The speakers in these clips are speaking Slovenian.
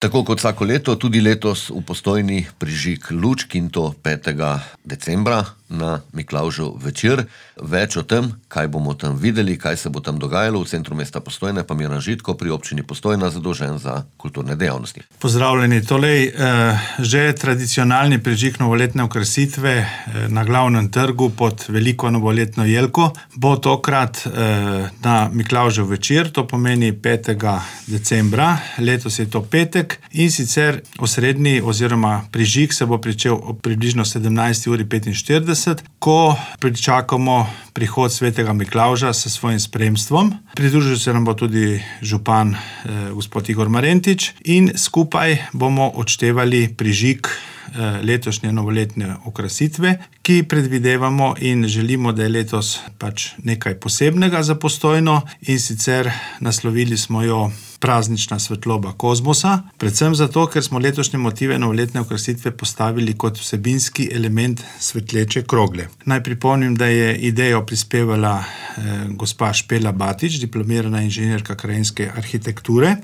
Tako kot vsako leto, tudi letos v Postojni prižig lučk, in to 5. decembra na Miklavžev večer. Več o tem, kaj bomo tam videli, kaj se bo tam dogajalo v centru mesta Postojne, pa Miran Žitko pri občini Postojna, zadolžen za kulturne dejavnosti. Pozdravljeni. Tolej, že tradicionalni prižig novoletne okrasitve na glavnem trgu pod veliko novoletno jelko bo tokrat na Miklavžev večer, to pomeni 5. decembra, letos je to petek, in sicer osrednji oziroma prižig se bo pričel ob približno 17:45, ko pričakamo prihod svetega Miklavža s svojim spremstvom. Pridružil se nam bo tudi župan gospod Igor Marentič in skupaj bomo odštevali prižig letošnje novoletne okrasitve, ki predvidevamo in želimo, da je letos pač nekaj posebnega za Postojno, in sicer naslovili smo jo Praznična svetloba kozmosa, predvsem zato, ker smo letošnje motive novoletne okrasitve postavili kot vsebinski element svetleče krogle. Naj pripomnim, da je idejo prispevala gospa Špela Batič, diplomirana inženirka krajinske arhitekture,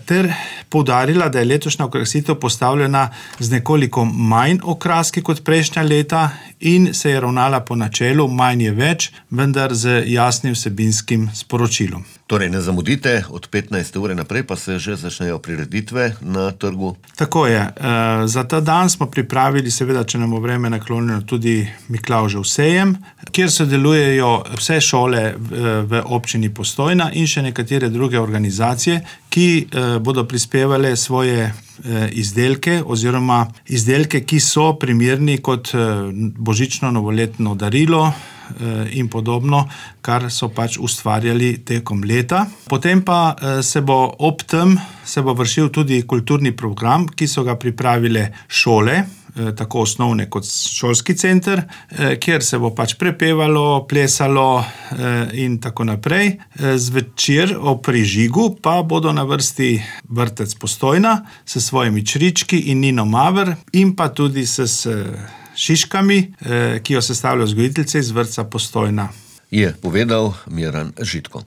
ter poudarila, da je letošnja okrasitev postavljena z nekoliko manj okraski kot prejšnja leta in se je ravnala po načelu manj je več, vendar z jasnim vsebinskim sporočilom. Torej, ne zamudite, od 15. ure naprej pa se že začnejo prireditve na trgu. Tako je. Za ta dan smo pripravili, seveda, če nam bo vreme naklonjeno, tudi Miklavžev sejem, kjer sodelujejo vse šole v občini Postojna in še nekatere druge organizacije, ki bodo prispevale svoje izdelke oziroma izdelke, ki so primerni kot božično novoletno darilo in podobno, kar so pač ustvarjali tekom leta. Potem pa se bo ob tem vršil tudi kulturni program, ki so ga pripravile šole, tako osnovne kot šolski center, kjer se bo pač prepevalo, plesalo in tako naprej. Zvečer ob prižigu pa bodo na vrsti vrtec Postojna s svojimi črički in Nino Maver in pa tudi s šiškami, ki jo sestavljajo vzgojiteljice iz vrtca Postojna. Je povedal Miran Žitko.